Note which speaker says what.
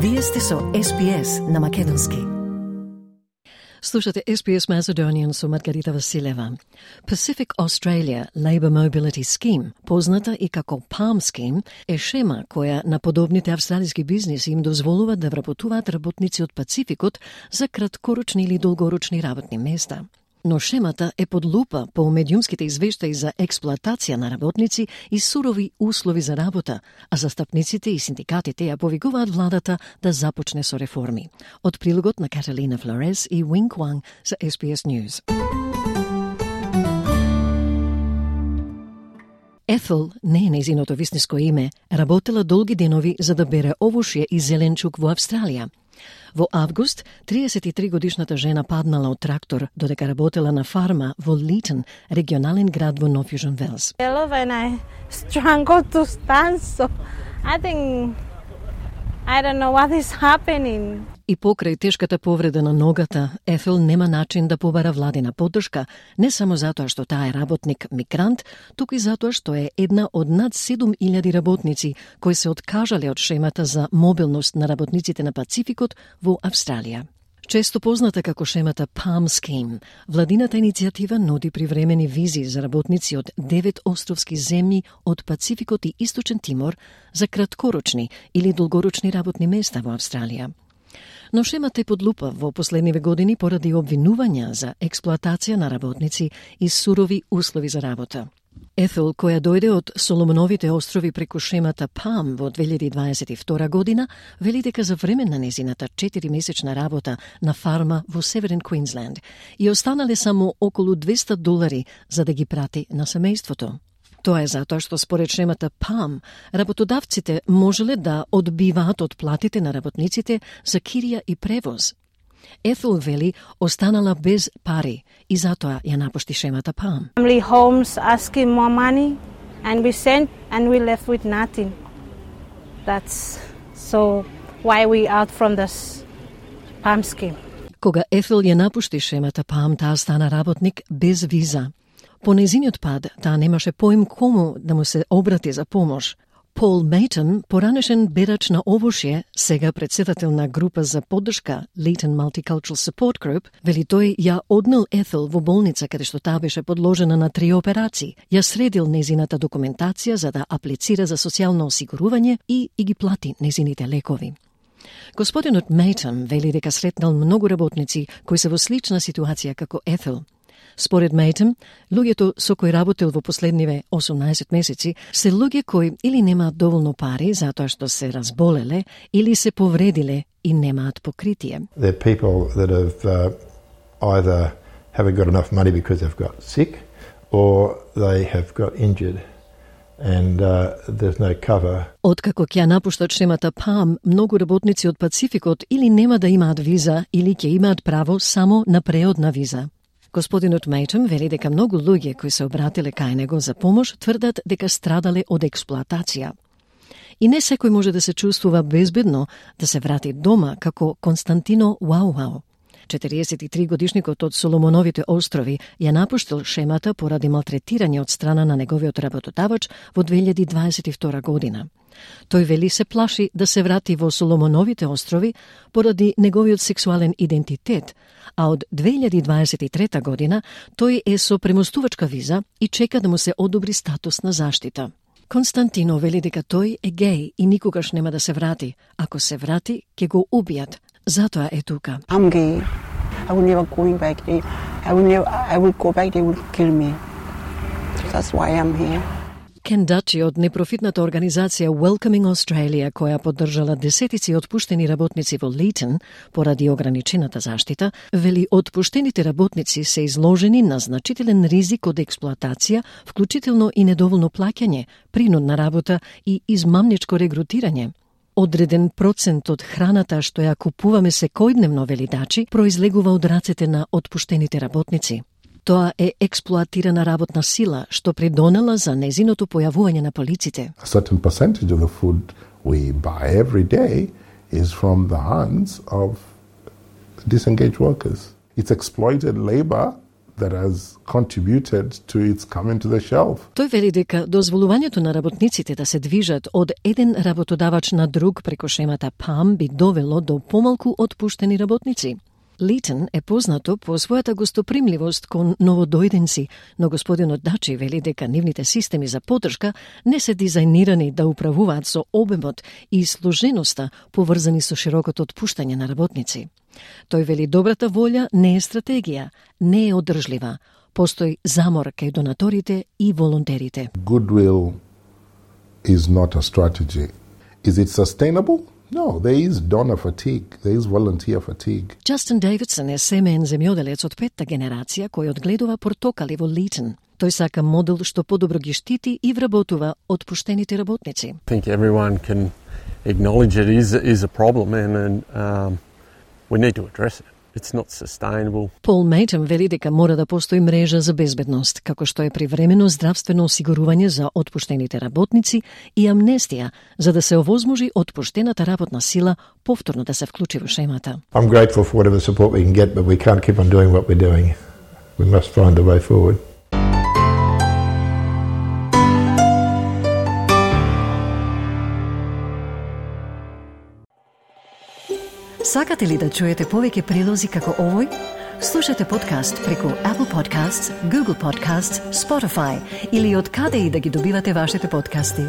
Speaker 1: Вие сте со SPS на македонски.
Speaker 2: Слушате SPS Macedonian со Маргарита Василева. Pacific Australia Labour Mobility Scheme, позната и како PALM Scheme, е шема која на подобните австралиски бизнеси им дозволува да вработуваат работници од Пацификот за краткорочни или долгорочни работни места. Но шемата е под лупа по медиумските извештаи за експлоатација на работници и сурови услови за работа, а застапниците и синдикатите ја повикуваат владата да започне со реформи. Од прилогот на Каталина Флорес и Wing Kwang за SBS News. Ethel, не е нејзиното вистинско име, работела долги денови за да бере овошје и зеленчук во Австралија. Во август, 33-годишната жена паднала од трактор додека работела на фарма во Leeton, регионален град во North Fusion Wales.
Speaker 3: And I struggled to stand, so I don't know what is happening.
Speaker 2: И покрај тешката повреда на ногата, Ethel нема начин да побара владина поддршка, не само затоа што таа е работник мигрант, туку и затоа што е една од над 7000 работници кои се откажале од шемата за мобилност на работниците на Пацификот во Австралија. Често позната како шемата PALM Scheme, владината иницијатива нуди привремени визи за работници од 9 островски земји од Пацификот и Источен Тимор за краткорочни или долгорочни работни места во Австралија. Но шемата е под лупа во последниве години поради обвинувања за експлоатација на работници и сурови услови за работа. Ethel, која дојде од Соломоновите острови преку шемата PALM во 2022 година, вели дека за време на незината 4-месечна работа на фарма во Северен Квинсленд и останале само околу $200 за да ги прати на семејството. Тоа е затоа што според шемата PALM, работодавците можеле да одбиваат од платите на работниците за кирија и превоз. Ethel вели останала без пари и затоа ја напушти шемата PALM.
Speaker 3: Family homes asking more money and we sent and we left with nothing. That's so why we out from this PALM scheme.
Speaker 2: Кога Ethel ја напушти шемата PALM, таа стана работник без виза. По нејзиниот пад, таа немаше поим кому да му се обрати за помош. Пол Мейтон, поранешен берач на овошје, сега председател на група за поддршка Leeton Multicultural Support Group, вели тој ја однел Ethel во болница каде што таа беше подложена на 3 операции, ја средил незината документација за да аплицира за социјално осигурување и ги плати незините лекови. Господинот Мейтон вели дека сретнал многу работници кои се во слична ситуација како Ethel. Според Мейтон, луѓето со кои работел во последниве 18 месеци се луѓе кои или немаат доволно пари затоа што се разболеле или се повредиле и немаат покритие.
Speaker 4: They're people that have either haven't got enough money because they've got sick or they have got injured and there's no cover.
Speaker 2: Откако ќе напуштат шемата PALM, многу работници од Пацификот или нема да имаат виза или ќе имаат право само на преодна виза. Господинот Мейтон вели дека многу луѓе кои се обратиле кај него за помош тврдат дека страдале од експлоатација. И не секој може да се чувствува безбедно да се врати дома како Константино Уауау. 43-годишникот од Соломоновите острови ја напуштил шемата поради малтретирање од страна на неговиот работодавач во 2022 година. Тој вели се плаши да се врати во Соломоновите острови поради неговиот сексуален идентитет, а од 2023 година тој е со премостувачка виза и чека да му се одобри статус на заштита. Константино вели дека тој е геј и никогаш нема да се врати. Ако се врати, ќе го убијат. Затоа е тука.
Speaker 5: I'm gay. I will never going back there. I will go back, they will kill me. That's why I'm here.
Speaker 2: Кен Дачи од непрофитната организација Welcoming Australia, која поддржала десетици отпуштени работници во Leeton поради ограничената заштита, вели отпуштените работници се изложени на значителен ризик од експлоатација, вклучително и недоволно плаќање, принудна работа и измамничко регрутирање. Одреден процент од храната што ја купуваме секојдневно, вели Дачи, произлегува од рацете на отпуштените работници. Тоа е експлоатирана работна сила што придонела за незиното појавување на полиците.
Speaker 6: A certain percentage of the food we buy every day is from the hands of disengaged workers. It's exploited labor that has contributed to its coming to the shelf.
Speaker 2: Тој вели дека дозволувањето на работниците да се движат од еден работодавач на друг преко шемата ПАМ би довело до помалку отпуштени работници. Литон е познато по својата гостопримливост кон новодојденци, но господинот Дачи вели дека нивните системи за поддршка не се дизајнирани да управуваат со обемот и сложеноста поврзани со широкото отпуштање на работници. Тој вели добрата волја не е стратегија, не е одржлива. Постои замор кај донаторите и волонтерите.
Speaker 6: Goodwill is not a strategy. Is it sustainable? No, there is donor fatigue, there is volunteer fatigue.
Speaker 2: Джастин Дейвидсон е семеен земјоделец од петта генерација кој одгледува портокали во Литон. Тој сака модел што подобро ги штити и вработува отпуштените работници.
Speaker 7: I think everyone can acknowledge it is a problem and we need to address it. It's not sustainable.
Speaker 2: Пол Мейтън вели дека мора да постои мрежа за безбедност, како што е привремено здравствено осигурување за отпуштените работници и амнестија, за да се овозможи отпуштената работна сила повторно да се вклучи во шемата.
Speaker 4: I'm grateful for whatever support we can get, but we can't keep on doing what we're doing. We must find a way forward.
Speaker 1: Сакате ли да чуете повеќе прилози како овој? Слушате подкаст преку Apple Podcasts, Google Podcasts, Spotify или од каде и да ги добивате вашите подкасти.